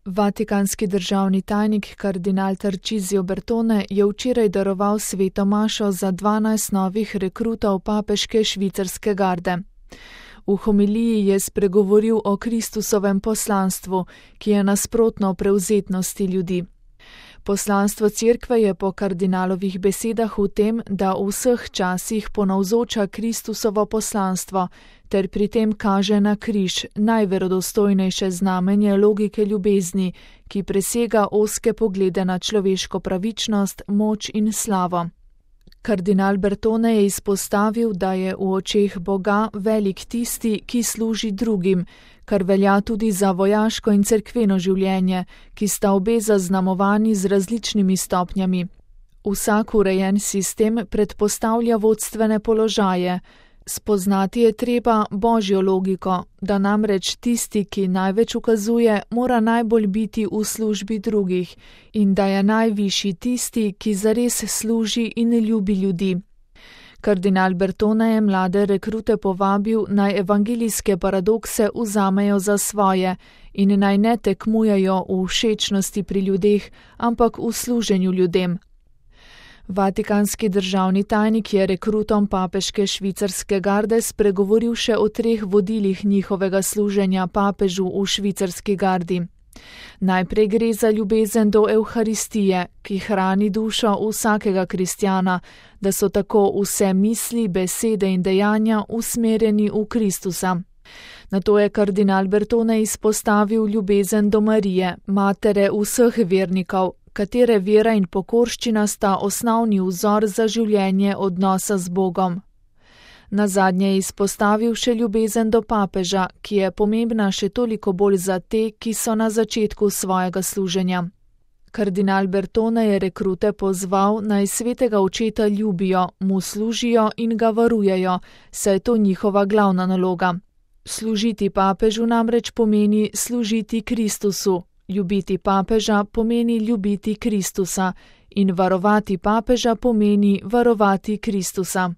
Vatikanski državni tajnik kardinal Tarcisio Bertone je včeraj daroval sveto mašo za 12 novih rekrutov papeške švicarske garde. V homiliji je spregovoril o Kristusovem poslanstvu, ki je nasprotno prevzetnosti ljudi. Poslanstvo Cerkve je po kardinalovih besedah v tem, da v vseh časih ponavzoča Kristusovo poslanstvo ter pri tem kaže na križ, najverodostojnejše znamenje logike ljubezni, ki presega ozke poglede na človeško pravičnost, moč in slavo. Kardinal Bertone je izpostavil, da je v očeh Boga velik tisti, ki služi drugim, kar velja tudi za vojaško in cerkveno življenje, ki sta obe zaznamovani z različnimi stopnjami. Vsak urejen sistem predpostavlja vodstvene položaje. Spoznati je treba božjo logiko, da namreč tisti, ki največ ukazuje, mora najbolj biti v službi drugih in da je najvišji tisti, ki zares služi in ljubi ljudi. Kardinal Bertone je mlade rekrute povabil, naj evangelijske paradokse vzamejo za svoje in naj ne tekmujejo v všečnosti pri ljudeh, ampak v služenju ljudem. Vatikanski državni tajnik je rekrutom papeške švicarske garde spregovoril še o 3 vodilih njihovega služenja papežu v švicarski gardi. Najprej gre za ljubezen do Evharistije, ki hrani dušo vsakega kristjana, da so tako vse misli, besede in dejanja usmerjeni v Kristusa. Nato je kardinal Bertone izpostavil ljubezen do Marije, matere vseh vernikov, katere vera in pokorščina sta osnovni vzor za življenje odnosa z Bogom. Nazadnje je izpostavil še ljubezen do papeža, ki je pomembna še toliko bolj za te, ki so na začetku svojega služenja. Kardinal Bertone je rekrute pozval, naj svetega očeta ljubijo, mu služijo in ga varujejo, saj je to njihova glavna naloga. Služiti papežu namreč pomeni služiti Kristusu, ljubiti papeža pomeni ljubiti Kristusa in varovati papeža pomeni varovati Kristusa.